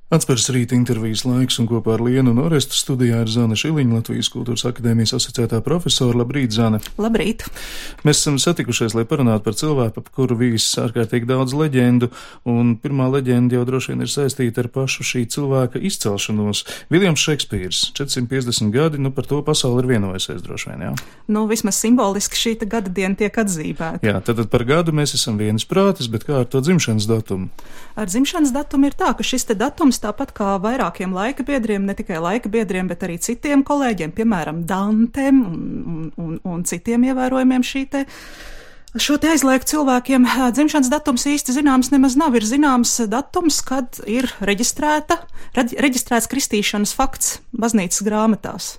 Atspērs rīta intervijas laiks un kopā ar Lienu un Orestu studijā ir Zane Šiliņa, Latvijas Kultūras akadēmijas asociētā profesora. Labrīt, Zane! Labrīt! Mēs esam satikušies, lai parunātu par cilvēku, ap kuru vīs ārkārtīgi daudz leģendu, un pirmā leģenda jau droši vien ir saistīta ar pašu šī cilvēka izcelšanos. Viljams Šekspīrs, 450 gadi, par to pasauli ir vienojusies droši vien, jā? Vismaz simboliski šī gada diena tiek atzīmēta. Jā, tad par gadu mēs esam vienas prātis, bet kā ar to dzimšanas datumu? Ar dzimšanas datumu ir tā, ka šis datums tāpat kā vairākiem laika biedriem, ne tikai laika biedriem, bet arī citiem kolēģiem, piemēram, Dantem un citiem ievērojumiem šo te aizlieku cilvēkiem, dzimšanas datums īsti zināms nemaz nav. Ir zināms datums, kad ir reģistrēts kristīšanas fakts baznīcas grāmatās.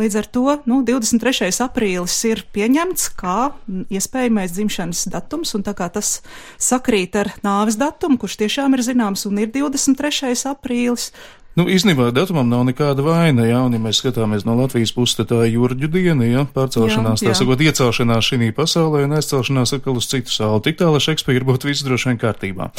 Līdz ar to 23. aprīlis ir pieņemts kā iespējamais dzimšanas datums, un tā kā tas sakrīt ar nāves datumu, kurš tiešām ir zināms un ir 23. aprīlis. Īstenībā datumam nav nekāda vaina, jā, un ja mēs skatāmies no Latvijas puses, tad tā ir Jurģu diena, jā, pārcelšanās, tā sakot, iecelšanās šī pasaulē un aizcelšanās atkal uz citu sauli. Tik tālāk Šekspīra būtu viss droši vien kārtībā.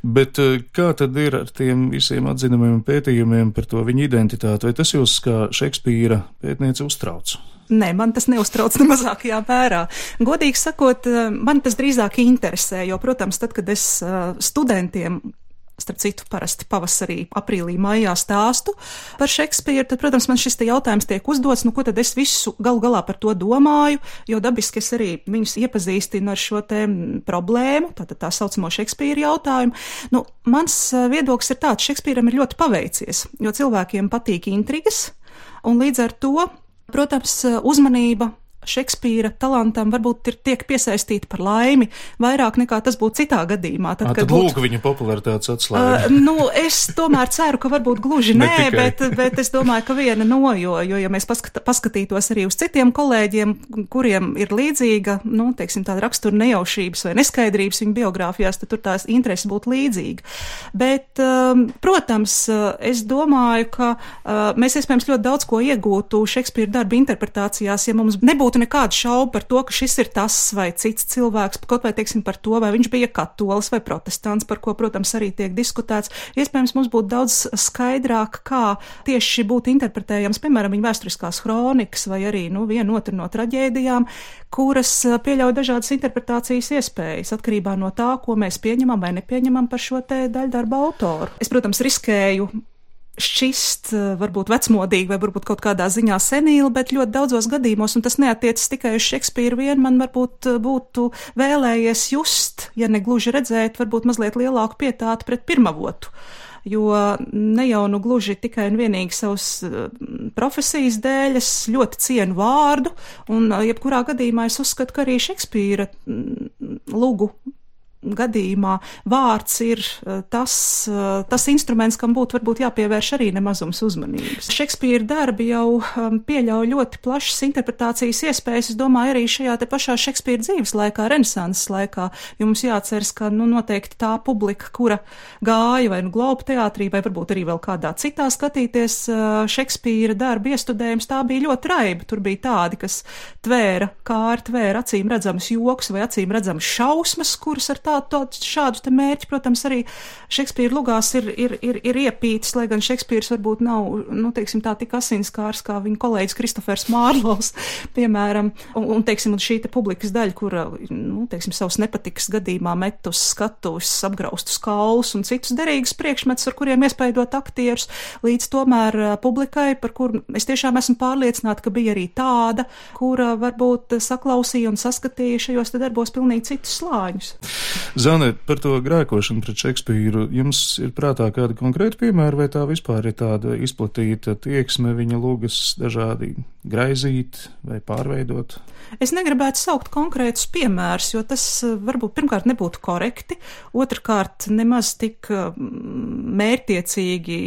Bet kā tad ir ar tiem visiem atzinumiem un pētījumiem par to viņa identitāti? Vai tas jūs kā Šekspīra pētniece uztrauc? Nē, man tas neuztrauc ne mazākajā mērā. Godīgi sakot, man tas drīzāk interesē, jo, protams, tad, kad es studentiem, starp citu, parasti pavasarī, aprīlī, maijā stāstu par Šekspīru, tad, protams, man šis jautājums tiek uzdots, ko tad es visu galu galā par to domāju, jo dabiski es arī viņus iepazīstinu ar šo te problēmu, tā saucamo Šekspīra jautājumu. Mans viedoklis ir tāds, Šekspīram ir ļoti paveicies, jo cilvēkiem patīk intrigas, un līdz ar to, protams, uzmanība Šekspīra talantam varbūt tiek piesaistīta par laimi vairāk nekā tas būtu citā gadījumā. Tad lūk viņa popularitātes atslēga. Es tomēr ceru, ka varbūt gluži nē, bet es domāju, ka viena no, jo ja mēs paskatītos arī uz citiem kolēģiem, kuriem ir līdzīga, tāda rakstura nejaušības vai neskaidrības viņa biogrāfijās, tad tur tās intereses būtu līdzīga. Bet, protams, es domāju, ka mēs iespējams ļoti daudz ko iegūtu Šekspīra darba interpretācijās, ja mums nebūtu nekāda šauba par to, ka šis ir tas vai cits cilvēks, kaut vai par to, vai viņš bija katolis vai protestants, par ko, protams, arī tiek diskutēts. Iespējams, mums būtu daudz skaidrāk, kā tieši būtu interpretējams, piemēram, viņa vēsturiskās kronikas vai arī viena otru no traģēdijām, kuras pieļauj dažādas interpretācijas iespējas, atkarībā no tā, ko mēs pieņemam vai nepieņemam par šo te daļdarba autoru. Es, protams, riskēju šķist varbūt vecmodīgi vai varbūt kaut kādā ziņā senīli, bet ļoti daudzos gadījumos, un tas neatiecas tikai uz Šekspīru vien, man varbūt būtu vēlējies just, ja ne gluži redzēt, varbūt mazliet lielāku pietātu pret pirmavotu. Jo ne jau gluži tikai un vienīgi savas profesijas dēļ es ļoti cienu vārdu, un jebkurā gadījumā es uzskatu, ka arī Šekspīra lugu gadījumā vārds ir tas instruments, kam būtu varbūt jāpievērš arī nemazums uzmanības. Šekspīra darbi jau pieļauj ļoti plašas interpretācijas iespējas, es domāju, arī šajā te pašā Šekspīra dzīves laikā, renesanses laikā, jo mums jāceras, ka noteikti tā publika, kura gāja vai Globu teātrī, vai varbūt arī vēl kādā citā skatīties Šekspīra darbu iestudējums, tā bija ļoti raiba. Tur bija tādi, kas tvēra acīm redzamas joks vai acīm redzamas šausmas, kuras ar šādus te mērķi, protams, arī Šekspīra lugās ir iepītis, lai gan Šekspīrs varbūt nav, tik asinskārs kā viņa kolēģis Kristofers Mārlovs, piemēram, un šī te publikas daļa, kura, savas nepatikas gadījumā met uz skatuves, apgraustus kaulus un citus derīgus priekšmetus, ar kuriem iespaidot aktierus, līdz tomēr publikai, par kuru es tiešām esmu pārliecināta, ka bija arī tāda, kura varbūt saklausīja un saskatīja šajos te darbos pilnīgi citus slāņus. Zane, par to grēkošanu pret Šekspīru, jums ir prātā kāda konkrēta piemēra, vai tā vispār ir tāda izplatīta tieksme viņa lugas dažādi graizīt vai pārveidot? Es negribētu saukt konkrētus piemērus, jo tas varbūt pirmkārt nebūtu korekti, otrkārt nemaz tik mērķtiecīgi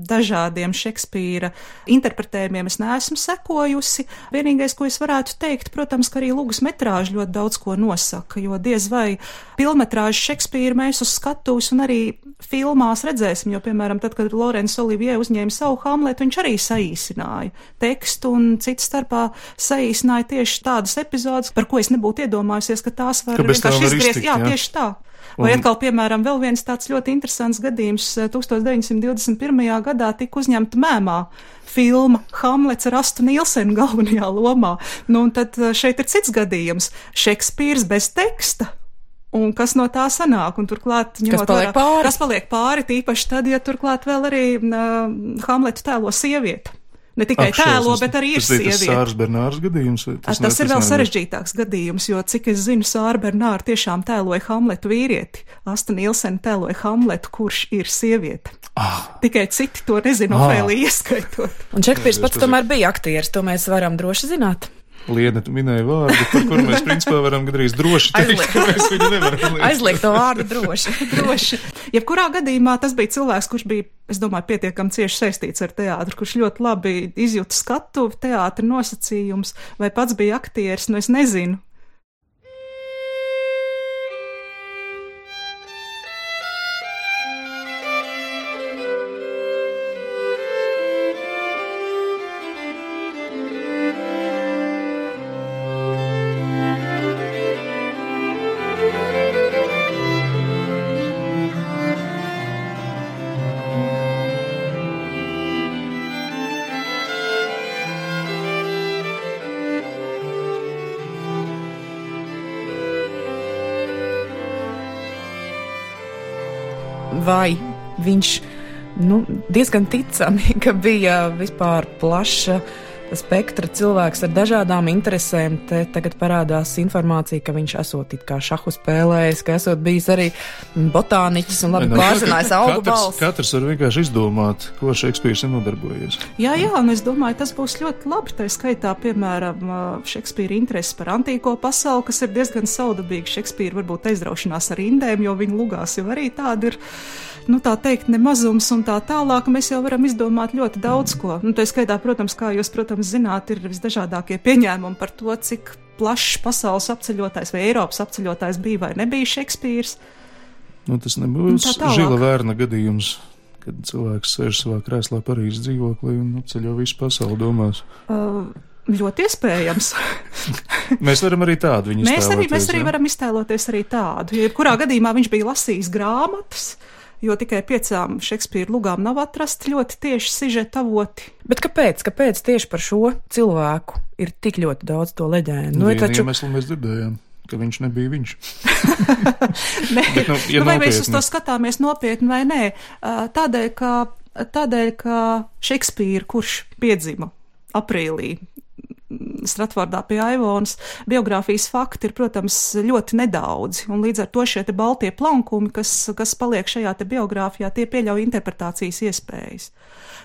dažādiem Šekspīra interpretējumiem es neesmu sekojusi. Vienīgais, ko es varētu teikt, protams, ka arī lugas metrāža ļoti daudz ko nosaka, jo diez vai pilnmetrāžu Šekspīru mēs uz skatuves un arī filmās redzēsim, jo, piemēram, tad, kad Laurence Olivier uzņēma savu Hamletu, viņš arī saīsināja tekstu un cits starpā saīsināja tieši tādas epizodes, par ko es nebūtu iedomājusies, ka tās var vienkārši izgriezt. Jā, tieši tā. Vai atkal, piemēram, vēl viens tāds ļoti interesants gadījums. 1921. gadā tika uzņemta mēmā filma Hamlets ar Astu Nīlsenu galvenajā lomā. Nu, un tad šeit ir cits gadījums. Šekspīrs bez teksta. Un kas no tā sanāk? Un turklāt, kas paliek pāri, tīpaši tad, ja turklāt vēl arī Hamletu tēlo sieviete. Ne tikai tēlo, bet arī ir sieviete. Tas Sāras Bernāras gadījums? Tas ir vēl sarežģītāks gadījums, jo, cik es zinu, Sāra Bernāra tiešām tēloja Hamletu vīrieti. Asta Nīlsena tēloja Hamletu, kurš ir sieviete. Tikai citi to nezinu, Ofēlija ieskaitot. Un Šekspīrs pats tomēr bija aktieris, to mēs varam droši zināt. Liena, tu minēji vārdu, par kuru mēs principā varam gadrīz droši teikt, ka mēs viņu nevaram liekt. Aizliegt to vārdu droši. Droši. Jebkurā gadījumā tas bija cilvēks, kurš bija, es domāju, pietiekami cieši saistīts ar teātru, kurš ļoti labi izjūta skatuvi, teātra nosacījums, vai pats bija aktieris, nu es nezinu. Vai viņš diezgan ticami, ka bija vispār plaša spektra cilvēks ar dažādām interesēm. Te tagad parādās informācija, ka viņš esot it kā šahu spēlējis, ka esot bijis arī botāniķis un labi pārzinājis augu balsi. Katrs var vienkārši izdomāt, ko Šekspīrs ir nodarbojies. Jā, un es domāju, tas būs ļoti labi. Tā skaitā, piemēram, Šekspīra interesi par antīko pasauli, kas ir diezgan saudabīgi. Šekspīra varbūt aizraušanās ar indēm, jo viņa lugās jau arī tāda ir, tā teikt, nemazums un tā tālāk. Mēs jau varam izdomāt ļoti daudz ko. Tā skaitā, protams, kā jūs, zināt, ir visdažādākie pieņēmumi par to, cik plašs pasaules apceļotājs vai Eiropas apceļotājs bija vai nebija Šekspīrs. Tas nebūs Žila Vērna gadījums, kad cilvēks sēž savā krēslā Parīzes dzīvoklī un apceļo visu pasauli domās. Ļoti iespējams. Mēs varam arī tādu viņu iztēloties. Mēs arī varam iztēloties arī tādu. Jebkurā gadījumā viņš bija lasījis grāmatas, jo tikai 5 Šekspīra lugām nav atrasti ļoti tieši sižeta avoti. Bet kāpēc tieši par šo cilvēku ir tik ļoti daudz to leģendu? Iemeslu mēs dzirdējām, ka viņš nebija viņš. Bet, vai mēs uz to skatāmies nopietni vai nē? Tādēļ, ka Šekspīra, kurš piedzima aprīlī Stratfordā pie Aivonas, biogrāfijas fakti ir, protams, ļoti nedaudzi, un līdz ar to šie te baltie plankumi, kas paliek šajā te biogrāfijā, tie pieļauj interpretācijas iespējas.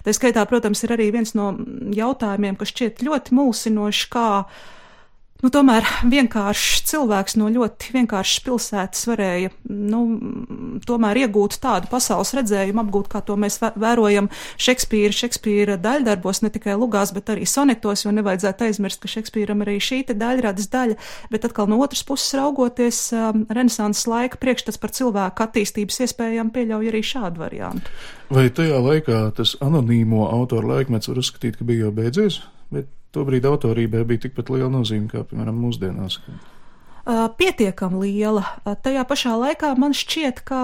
Tā skaitā, protams, ir arī viens no jautājumiem, kas šķiet ļoti mulsinoši, kā tomēr vienkāršs cilvēks no ļoti vienkāršas pilsētas varēja, tomēr iegūt tādu pasaules redzējumu, apgūt, kā to mēs vērojam Šekspīra daļdarbos, ne tikai lugās, bet arī sonetos, jo nevajadzētu aizmirst, ka Šekspīram arī šī te daļradas daļa, bet atkal no otras puses raugoties, renesanses laika priekšstats par cilvēku attīstības iespējām pieļauj arī šādu variantu. Vai tajā laikā tas anonīmo autoru laikmets var uzskatīt, ka bija jau beidzies? Bet tobrīd autorībai bija tikpat liela nozīme, kā, piemēram, mūsdienās. Pietiekam liela. Tajā pašā laikā man šķiet, ka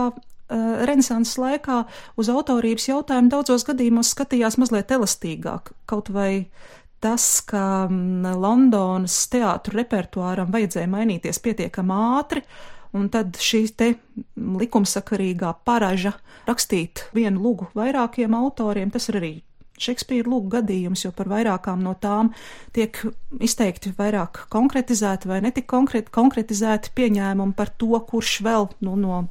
renesanses laikā uz autorības jautājumu daudzos gadījumos skatījās mazliet elastīgāk. Kaut vai tas, ka Londonas teātru repertuāram vajadzēja mainīties pietiekam ātri, un tad šī te likumsakarīgā paraža rakstīt vienu lugu vairākiem autoriem, tas ir arī Šekspīra lūgu gadījums, jo par vairākām no tām tiek izteikti vairāk konkretizēti vai netik konkretizēti pieņēmumi par to, kurš vēl no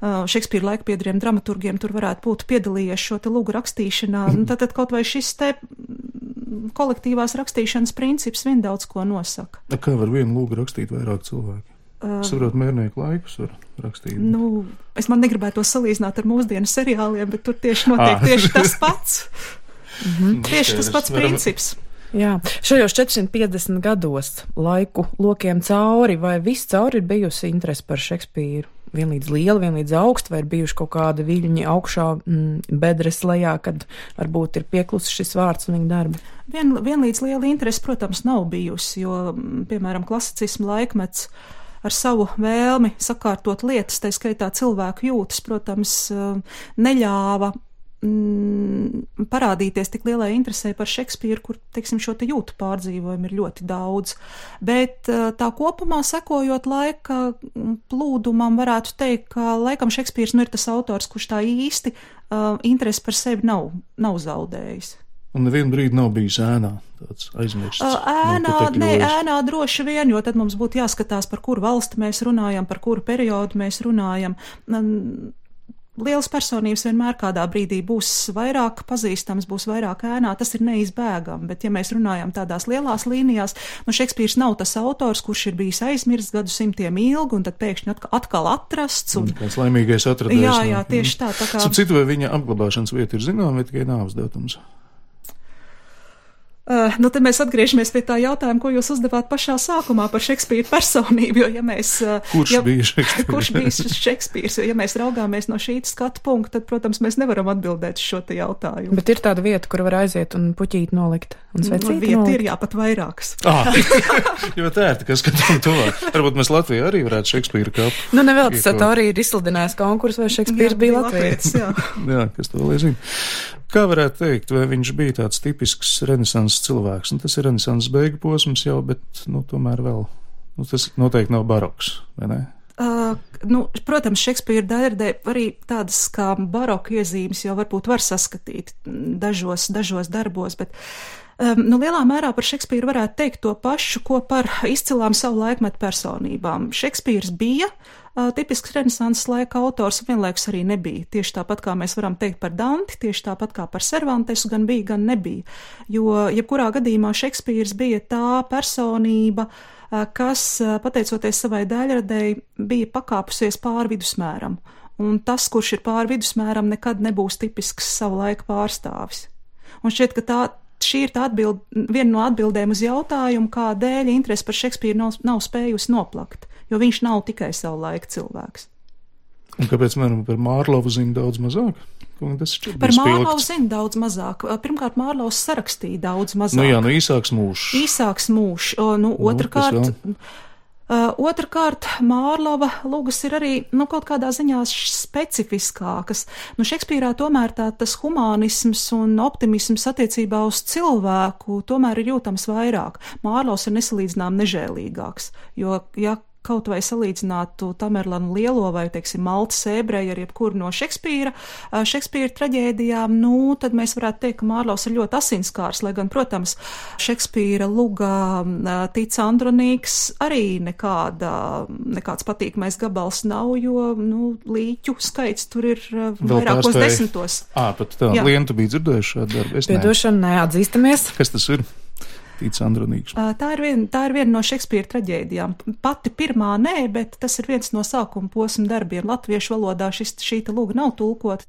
Šekspīra laikpiederiem dramaturgiem tur varētu būt piedalījies šo te lūgu rakstīšanā. Tad kaut vai šis te kolektīvās rakstīšanas princips vien daudz ko nosaka. Kā var vienu lūgu rakstīt vairāk cilvēki? Saprot, mērnieku laikus var rakstīt. Es man negribētu to salīdzināt ar mūsdienu seriāliem, bet tur tieši notiek tieši tas pats. Tieši tas pats princips. Jā, šajos 450 gados laiku lokiem cauri, vai viss cauri ir bijusi interese par Šekspīru? Vienlīdz liela, vienlīdz augsta, vai ir bijuši kaut kādi viļņi augšā, bedres lejā, kad varbūt ir pieklusis šis vārds un viņa darbi? Vienlīdz liela interese, protams, nav bijusi, jo, piemēram, klasicisma laikmets ar savu vēlmi sakārtot lietas, tā skaitā cilvēku jūtas, protams, neļāva parādīties tik lielai interesē par Šekspīru, kur, teiksim, šo te jūtu pārdzīvojumu ir ļoti daudz. Bet tā kopumā sekojot laika plūdumam varētu teikt, ka laikam Šekspīrs ir tas autors, kurš tā īsti interesi par sevi nav zaudējis. Un nevienu brīdi nav bijis ēnā, tāds aizmirsts. Ēnā droši vien, jo tad mums būtu jāskatās, par kuru valsti mēs runājam, par kuru periodu mēs runājam. Lielas personības vienmēr kādā brīdī būs vairāk pazīstams, būs vairāk ēnā, tas ir neizbēgami, bet ja mēs runājam tādās lielās līnijās, Šekspīrs nav tas autors, kurš ir bijis aizmirsts gadsimtiem ilgi un tad pēkšņi atkal atrasts. Kāds laimīgais atradējs. Jā, tieši tā kā. Citu, vai viņa apglabāšanas vieta ir zināma, vai tikai nāves datums? Te mēs atgriežamies pie tā jautājuma, ko jūs uzdevāt pašā sākumā par Šekspīra personību, jo ja mēs... Kurš bija Šekspīrs? Kurš bija Šekspīrs, jo ja mēs raugāmies no šī skatu punkta, tad, protams, mēs nevaram atbildēt šo te jautājumu. Bet ir tāda vieta, kur var aiziet un puķīt nolikt, un svecīt vieta nolikt? Ir, jā, pat vairākas. Jo tā ir, ka skatām tuvāk. Varbūt mēs Latvijā arī varētu Šekspīra kapu. Nevēl tas arī ir izsludinājis konkurss, vai Šekspīrs bija Latvijas. Jā, kas to lai zina. Kā varētu teikt, vai viņš bija tāds tipisks renesanses cilvēks? Tas ir renesanses beigu posms jau, bet, tomēr vēl, tas noteikti nav baroks, vai ne? Protams, Šekspīra dēļ arī tādas kā baroka iezīmes jau varbūt var saskatīt dažos darbos, bet lielā mērā par Šekspīru varētu teikt to pašu, ko par izcilām savu laikmetu personībām. Šekspīrs bija tipisks renesanses laika autors, vienlaikus arī nebija. Tieši tāpat kā mēs varam teikt par Danti, tieši tāpat kā par Cervantesu, gan bija, gan nebija. Jo, jebkurā gadījumā Šekspīrs bija tā personība, kas, pateicoties savai daļradēji, bija pakāpusies pāri vidusmēram. Un tas, kurš ir pāri vidusmēram, nekad nebūs tipisks savu laiku pārstāvis. Un šķiet, ka šī ir viena no atbildēm uz jautājumu, kādēļ interesi par Šekspīru nav spējusi noplakt, jo viņš nav tikai savu laiku cilvēks. Un kāpēc, par Mārlovu zina daudz mazāk? Par Mārlovu zina daudz mazāk. Pirmkārt, Mārlovs sarakstīja daudz mazāk. Īsāks mūžs. Īsāks mūžs. Otrkārt, Mārlova lugas ir arī, kaut kādā ziņā specifiskākas. Šekspīrā tomēr tas humānisms un optimisms attiecībā uz cilvēku tomēr ir jūtams vairāk. Mārlovs ir nesalīdzinām nežēlīgāks, jo, ja kaut vai salīdzinātu Tamerlanu Lielo vai, teiksim, Maltas ebreju ar jebkuru no Šekspīra traģēdijām, tad mēs varētu teikt, ka Mārlovs ir ļoti asinskārs, lai gan, protams, Šekspīra lugā Tic Andronīks arī nekāds patīkamais gabals nav, jo, līķu skaits tur ir vairākos desmitos. Pat tā, Lienu, tu biji dzirdējuši šādu darbu? Piedošana, neatzīstamies. Kas tas ir? Tic Andronīks. Tā ir viena no Šekspīra traģēdijām. Pati pirmā nē, bet tas ir viens no sākuma posma darbiem. Latviešu valodā šī luga nav tulkota.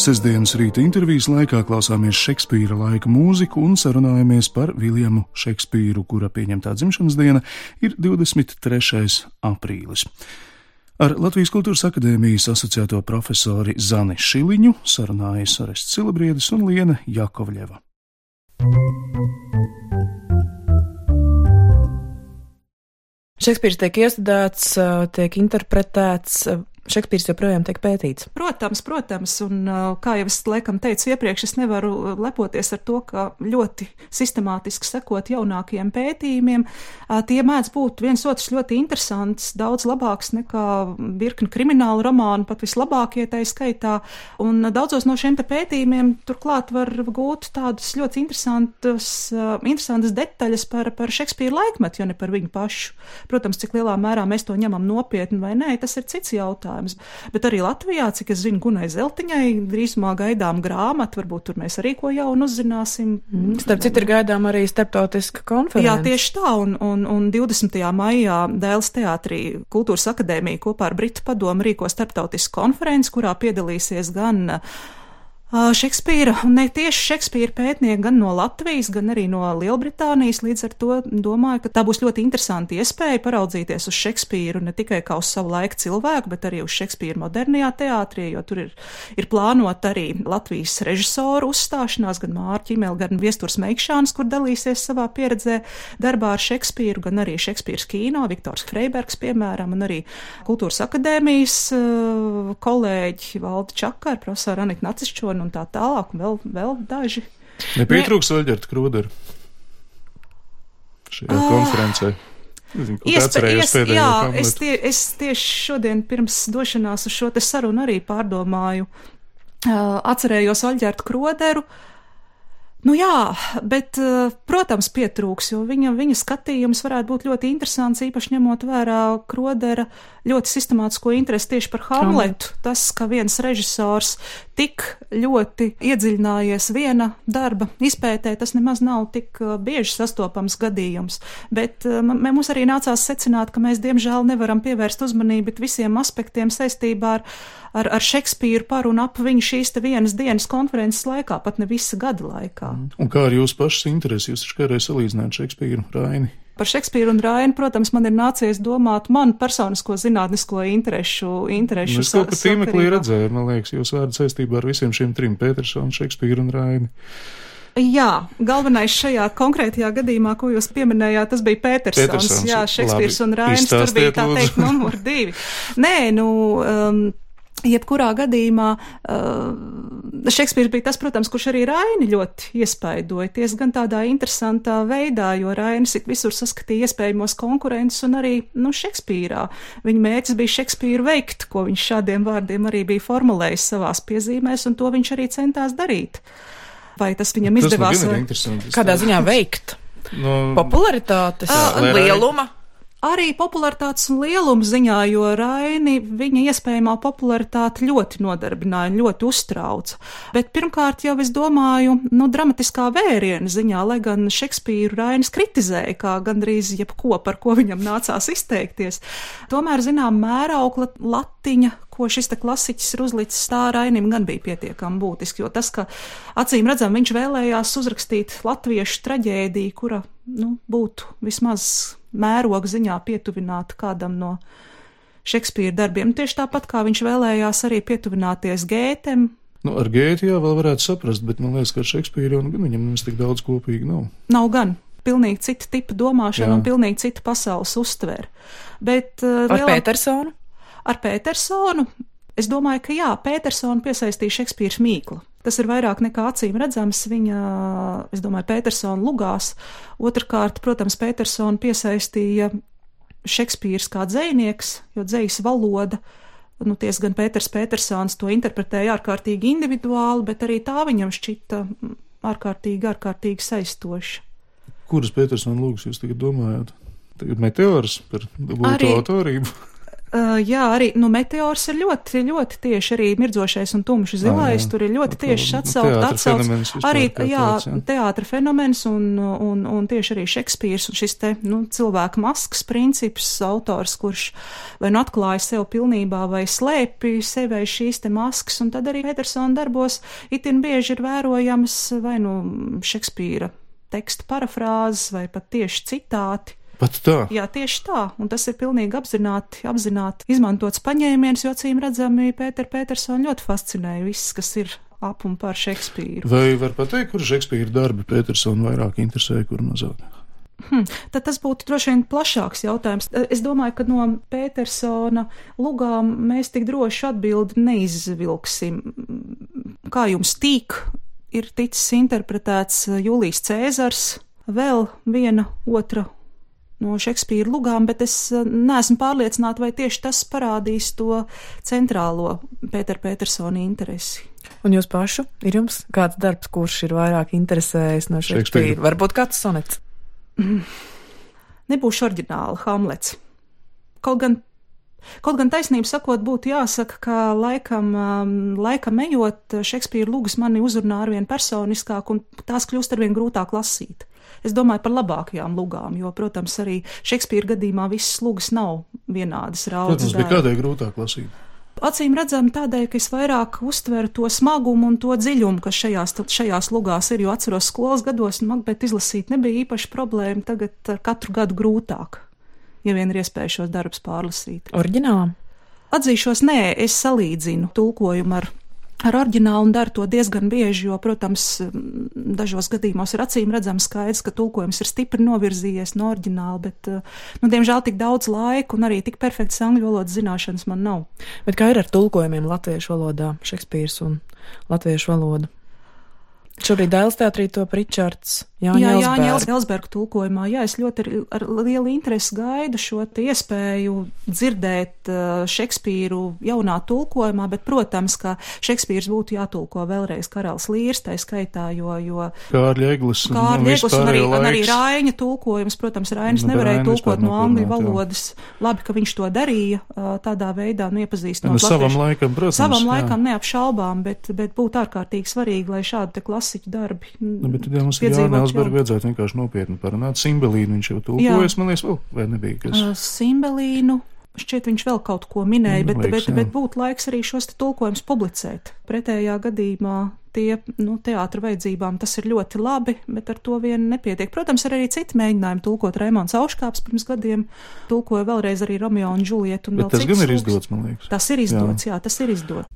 Sestdienas rīta intervijas laikā klausāmies Šekspīra laika mūziku un sarunājamies par Viljamu Šekspīru, kura pieņemtā dzimšanas diena ir 23. aprīlis. Ar Latvijas Kultūras akadēmijas asociēto profesori Zani Šiliņu sarunājas Orests Silabriedis un Liena Jakovļeva. Šekspīrs tiek iestudēts, tiek interpretēts. Šekspīrs joprojām tiek pētīts. Protams, un kā jau es laikam teicu iepriekš, es nevaru lepoties ar to, ka ļoti sistemātiski sekot jaunākajiem pētījumiem. Tie mēdz būt viens otrs ļoti interesants, daudz labāks nekā virkni kriminālu romānu, pat vislabākie tai skaitā. Un daudzos no šiem te pētījumiem turklāt var gūt tādas ļoti interesantas detaļas par Šekspīra laikmetu, jo ne par viņu pašu. Protams, cik lielā mērā mēs to ņemam nopietni vai nē, tas ir cits jautājums. jautājums. Bet arī Latvijā, cik es zinu, Gunai Zeltiņai drīzumā gaidām grāmatu, varbūt tur mēs arī ko jaunu uzzināsim. Starp citu ir gaidām arī starptautiska konference. Jā, tieši tā, un 20. maijā Dēles teātrī Kultūras akadēmija kopā ar Britu padomu rīko starptautisku konferenci, kurā piedalīsies gan Šekspīra, un ne tieši Šekspīra pētnieki gan no Latvijas, gan arī no Lielbritānijas, līdz ar to domāju, ka tā būs ļoti interesanti iespēja paraudzīties uz Šekspīru ne tikai kā uz savu laiku cilvēku, bet arī uz Šekspīru modernajā teātrī, jo tur ir plānot arī Latvijas režisoru uzstāšanās, gan Māra Ķimele, gan Viesturs Meikšāns, kur dalīsies savā pieredzē darbā ar Šekspīru, gan arī Šekspīras kīno, Viktors Freibergs, piemēram, un arī Kultūras akadēmijas kolēģi Valda Čakar, profesora Anita Nacišķona un tā tālāk, un vēl daži. Nepietrūks Aļģerta Kroderu šajā konferencē. Es tieši šodien pirms došanās uz šo te sarunu arī pārdomāju, atcerējos Aļģerta Kroderu. Nu jā, bet, protams, pietrūks, jo viņa skatījums varētu būt ļoti interesants, īpaši ņemot vērā Krodera ļoti sistemātisko interesi tieši par Hamletu. Tas, ka viens režisors tik ļoti iedziļinājies viena darba izpētē, tas nemaz nav tik bieži sastopams gadījums. Bet mums arī nācās secināt, ka mēs diemžēl nevaram pievērst uzmanību visiem aspektiem saistībā ar Šekspīru par un ap viņu šīs te vienas dienas konferences laikā, pat ne visa gada laikā. Un kā ar jūsu pašas interesi? Jūs taču kādreiz salīdzināt Šekspīru, Raini? Par Šekspīru un Raini, protams, man ir nācies domāt man personisko zinātnisko interešu Es kaut kā tīmeklī redzēju, man liekas, jūs vārdu saistībā ar visiem šiem trim, Petersonu, Šekspīru un Raini. Jā, galvenais šajā konkrētajā gadījumā, ko jūs pieminējāt, tas bija Petersons. Jā, Šekspīrs un Rainis, tur bija tā teikt numur 2. Nē, jebkurā gadījumā Šekspīrs bija tas, protams, kurš arī Raini ļoti iespaidoja, diezgan tādā interesantā veidā, jo Rainis visur saskatīja iespējamos konkurentus un arī, Šekspīrā. Viņa mērķis bija Šekspīru veikt, ko viņš šādiem vārdiem arī bija formulējis savās piezīmēs, un to viņš arī centās darīt. Vai tas viņam izdevās? Kādā ziņā veikt? Popularitātes, lieluma? Arī popularitātes un lieluma ziņā, jo Raini viņa iespējamā popularitāte ļoti nodarbināja un ļoti uztrauca. Bet pirmkārt jau es domāju, dramatiskā vēriena ziņā, lai gan Šekspīru Rainis kritizēja, kā gandrīz jebko, par ko viņam nācās izteikties. Tomēr, mēraukla latiņa, ko šis te klasiķis ir uzlicis, tā Rainim gan bija pietiekami būtiski, jo tas, ka acīm redzam, viņš vēlējās uzrakstīt latviešu traģēdiju, kura, būtu vismaz mēroga ziņā pietuvināta kādam no Šekspīra darbiem. Tieši tāpat, kā viņš vēlējās arī pietuvināties Gētem. Ar Gēti jā, vēl varētu saprast, bet man liekas, ka ar Šekspīru viņam nemaz tik daudz kopīgi nav. Nav gan. Pilnīgi cita tipa domāšana un pilnīgi cita pasaules uztver. Bet, ar Petersonu? Ar Petersonu, es domāju, ka jā, Petersonu piesaistīja Šekspīrs mīkla. Tas ir vairāk nekā acīm redzams viņa, es domāju, Petersona lugās. Otrkārt, protams, Petersonu piesaistīja Šekspīrs kā dzejnieks, jo dzejas valoda, gan Pēters Petersons to interpretēja ārkārtīgi individuāli, bet arī tā viņam šķita ārkārtīgi saistoša. Kuras Petersona lūgas jūs tagad domājat? Tagad Meteors par dubulto autorību? Jā, arī Meteors ir ļoti, ļoti tieši arī Mirdzošais un tumši zilais, tur ir ļoti tieši atsauc. Arī, teātra fenomens un tieši arī Šekspīrs un šis te, cilvēka maskas princips, autors, kurš vai atklāja sev pilnībā vai slēpi sevi šīs te maskas, un tad arī Petersona darbos itin bieži ir vērojams vai Šekspīra teksta parafrāzes vai pat tieši citāti. Pat tā? Jā, tieši tā, un tas ir pilnīgi apzināti izmantots paņēmiens, jo acīm redzami Petersonu ļoti fascinēja viss, kas ir ap un par Šekspīru. Vai var pateikt, kur Šekspīra darbi Petersonu vairāk interesē, kur mazāk? Tad tas būtu droši vien plašāks jautājums. Es domāju, ka no Petersona lugām mēs tik droši atbildi neizvilksim. Kā jums tīk, ir ticis interpretēts Jūlijs Cēzars, vēl viena otra no Šekspīra lugām, bet es neesmu pārliecināta, vai tieši tas parādīs to centrālo Petersona interesi. Un jūs pašu? Ir jums kāds darbs, kurš ir vairāk interesējis no Šekspīra? Varbūt kāds sonets? Nebūšu oriģināla, Hamlets. Kaut gan Kaut gan taisnību sakot, būtu jāsaka, ka laikam ejot, Šekspīra lugas mani uzrunā arvien personiskāk un tās kļūst arvien grūtāk lasīt. Es domāju par labākajām lugām, jo, protams, arī Šekspīra gadījumā visas lugas nav vienādas raudzes. Protams, bet kādēļ grūtāk lasīt? Acīm redzam tādēļ, ka es vairāk uztveru to smagumu un to dziļumu, kas šajās lugās ir, jo atceros skolas gados, bet izlasīt nebija īpaši problēma, tagad ar katru gadu grūtāk, ja vien ir iespēja šos darbus pārlasīt. Oriģinālā? Atzīšos, nē, es salīdzinu tulkojumu ar oriģinālu un daru to diezgan bieži, jo, protams, dažos gadījumos ir acīm redzams skaidrs, ka tulkojums ir stipri novirzījies no oriģināla, bet, diemžēl tik daudz laika un arī tik perfektas angļu valodas zināšanas man nav. Bet kā ir ar tulkojumiem latviešu valodā, Šekspīrs un latviešu valodu? Šobrīd Dailes teātrī top Ričards Jāņa Elsberga tulkojumā. Jā, es ļoti ar lielu interesi gaidu šo iespēju dzirdēt Šekspīru jaunā tulkojumā, bet, protams, ka Šekspīrs būtu jātulko vēlreiz Karalis Līrs, tai skaitā, jo Kārļa Eglis un arī Raiņa tulkojums, protams, Rainis nevarēja tulkot no angļu valodas. Labi, ka viņš to darīja tādā veidā, iepazīstinot savam laikam, protams. Savam laikam neapšaubām, bet būtu ārkārtīgi svarīgi, lai šādi te klasiķu darbi bet tad mums ir Jāņa Elsberga vajadzētu vienkārši nopietni parunāt. Simbelīnu viņš jau tulkojas, man liekas, vēl, vai nebija kas? Simbelīnu, šķiet viņš vēl kaut ko minēja, bet būtu laiks arī šos tulkojumus publicēt. Pretējā gadījumā teātra vajadzībām tas ir ļoti labi, bet ar to vien nepietiek. Protams, ir arī citi mēģinājumi tulkot. Raimonds Auškāps pirms gadiem tulkoja vēlreiz arī Romeo un Džulietu. Bet tas gan ir izdots, man liekas. Tas ir izdots, jā, tas ir izdots.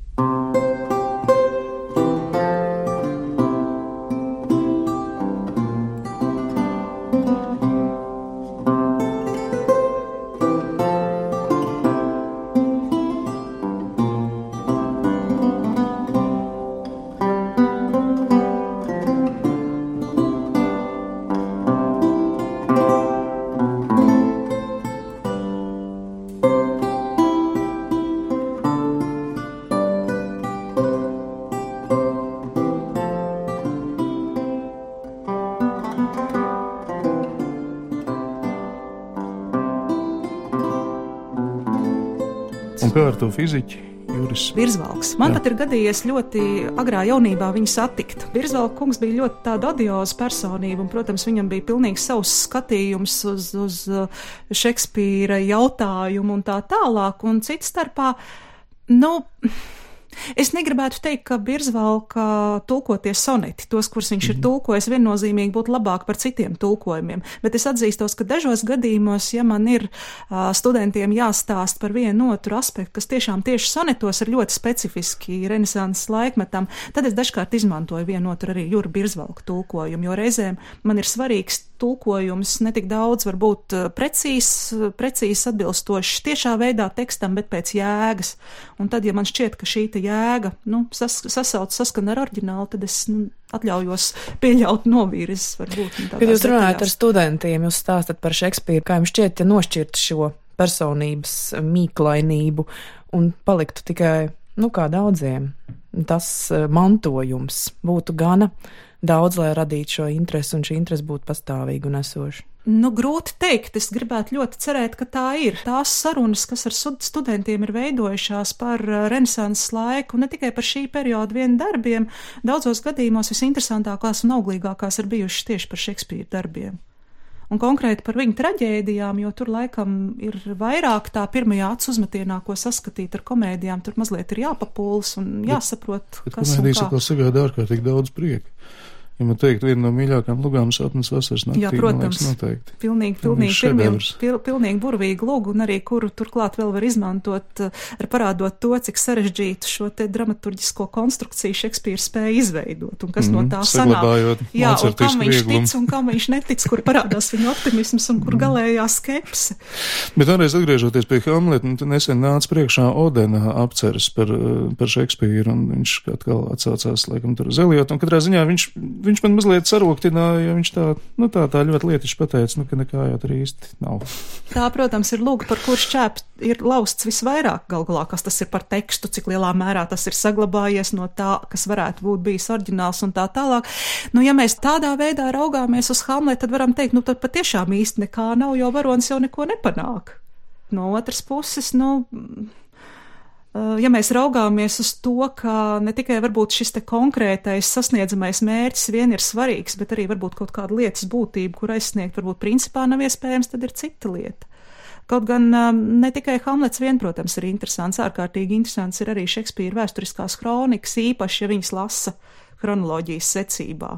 Un kā ar to fiziķi? Juris Birzvalks. Man pat ir gadījies ļoti agrā jaunībā viņu satikt. Birzvalka kungs bija ļoti tāda odioza personība, un, protams, viņam bija pilnīgi savs skatījums uz Šekspīra jautājumu un tā tālāk, un cits starpā, es negribētu teikt, ka Birzvalka tulkoties soneti, tos, kurus viņš ir tulkojis, viennozīmīgi būtu labāk par citiem tulkojumiem, bet es atzīstos, ka dažos gadījumos, ja man ir studentiem jāstāst par vienu otru aspektu, kas tiešām tieši sonetos ir ļoti specifiski renesanses laikmetam, tad es dažkārt izmantoju vienu otru arī Jura Birzvalka tulkojumu, jo reizēm man ir svarīgs tulkojums ne tik daudz varbūt precīzi atbilstošs tiešā veidā tekstam, bet pēc jēgas. Un tad, ja man šķiet, ka šī jēga saskan ar oriģinālu, tad es atļaujos pieļaut novirzes varbūt. Kad jūs runājat ar studentiem, jūs stāstat par Šekspīru, kā jums šķiet nošķirt šo personības mīklainību un paliktu tikai, kā daudziem, tas mantojums būtu gana daudz, lai radītu šo interesi, un šī interesi būtu pastāvīga un esoša? Grūti teikt. Es gribētu ļoti cerēt, ka tā ir. Tās sarunas, kas ar studentiem ir veidojušās par renesanses laiku, ne tikai par šī perioda vien darbiem, daudzos gadījumos visinteresantākās un auglīgākās ir bijušas tieši par Šekspīra darbiem. Un konkrēti par viņu traģēdijām, jo tur laikam ir vairāk tā pirmajā acu uzmetienā, ko saskatīt ar komēdijām, tur mazliet ir jāpapūlas un jāsaprot, bet kas un kā. Komēdijas atkal sagādā ārkārtīgi daudz prieka. Ja man teikt, viena no mīļākām lugām Sapnis vasaras naktī, jā, protams, man liekas, noteikti. Pilnīgi burvīga luga, un arī kuru turklāt vēl var izmantot, parādot to, cik sarežģītu šo te dramaturģisko konstrukciju Šekspīrs spēja izveidot, un kas no tā sanāk. Jā, un kam viņš tic un kam viņš netic, kur parādās viņa optimisms un kur galējā skepse. Bet vēlreiz atgriežoties pie Hamleta, nesen nāca priekšā Odena apceres par Šekspīru, un viņš atkal atsaucās, laikam, tur uz Eliotu, un katrā ziņā viņš man mazliet saroktināja, jo viņš tā ļoti lietiši pateica, ka nekā jau tur īsti nav. Tā, protams, ir lūga, par kur šķēp ir lausts visvairāk galvā, kas tas ir par tekstu, cik lielā mērā tas ir saglabājies no tā, kas varētu būt bijis oriģināls un tā tālāk. Ja mēs tādā veidā raugāmies uz Hamletu, tad varam teikt, tad patiešām īsti nekā nav, jo varonis jau neko nepanāk. no otras puses, ja mēs raugāmies uz to, ka ne tikai varbūt šis te konkrētais sasniedzamais mērķis vien ir svarīgs, bet arī varbūt kaut kāda lietas būtība, kur aizsniegt varbūt principā nav iespējams, tad ir cita lieta. Kaut gan ne tikai Hamlets vien, protams, ir interesants, ārkārtīgi interesants ir arī Šekspīra vēsturiskās kronikas, īpaši, ja viņas lasa kronoloģijas secībā.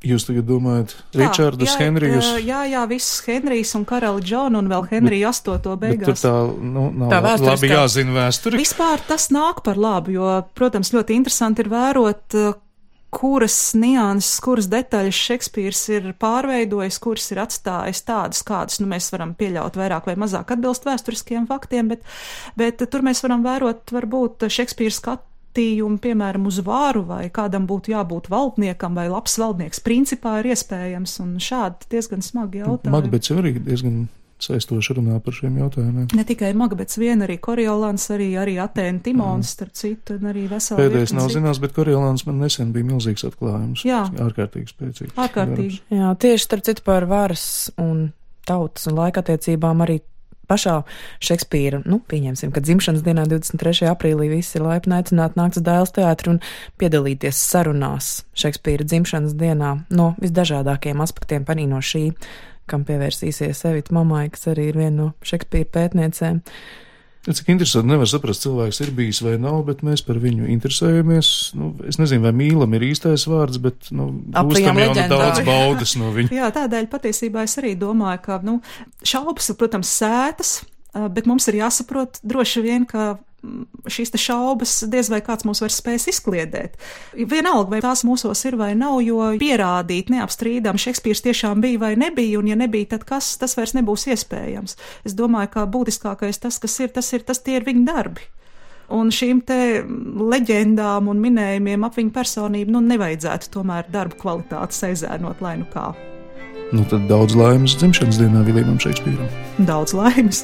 Jūs tagad domājat Ričardus, Henrijus? Jā, visus Henrijus un karali Džonu un vēl Henriju 8. beigās. Bet tur nav labi jāzina vēsturi. Vispār tas nāk par labu, jo, protams, ļoti interesanti ir vērot, kuras nianses, kuras detaļas Šekspīrs ir pārveidojis, kuras ir atstājis tādas, kādas, mēs varam pieļaut vairāk vai mazāk atbilst vēsturiskiem faktiem, bet tur mēs varam vērot, varbūt, Šekspīra skatījumu, piemēram, uz vāru, vai kādam būtu jābūt valdniekam, vai labs valdnieks principā ir iespējams, un šādi diezgan smagi jautājumi. Makbets arī diezgan saistoši runā par šiem jautājumiem. Ne tikai Makbets vien, arī Koriolans, arī Atēna Timons, starp citu, un arī veseli. Pēdējais nav zināms, bet Koriolans man nesen bija milzīgs atklājums. Jā. Ārkārtīgi spēcīgs. Ārkārtīgi. Jā, tieši starp citu par varas un tautas un laikattiecībām arī pašā Šekspīra, pieņemsim, ka dzimšanas dienā 23. aprīlī visi ir laipni aicināti nākt uz Dailes teātri un piedalīties sarunās Šekspīra dzimšanas dienā no visdažādākajiem aspektiem, arī no šī, kam pievērsīsies Evita Mamai, kas arī ir viena no Šekspīra pētniecēm. Cik interesanti, nevar saprast, cilvēks ir bijis vai nav, bet mēs par viņu interesējamies. Es nezinu, vai mīlam ir īstais vārds, bet gūstam jau daudz baudas no viņa. Jā, tādēļ patiesībā es arī domāju, ka šaubas ir, protams, sētas, bet mums ir jāsaprot droši vien, ka šīs te šaubas diez vai kāds mūs vairs spēs izkliedēt. Vienalga, vai tās mūsos ir vai nav, jo pierādīt neapstrīdam Šekspīrs tiešām bija vai nebija, un ja nebija, tad kas, tas vairs nebūs iespējams. Es domāju, ka būtiskākais tas, kas ir, tie ir viņa darbi. Un šīm te leģendām un minējumiem ap viņu personību, nevajadzētu tomēr darbu kvalitāti aizērnot, lai kā. Tad daudz laimes dzimšanas dienā Viljamam Šekspīram. Daudz laimes.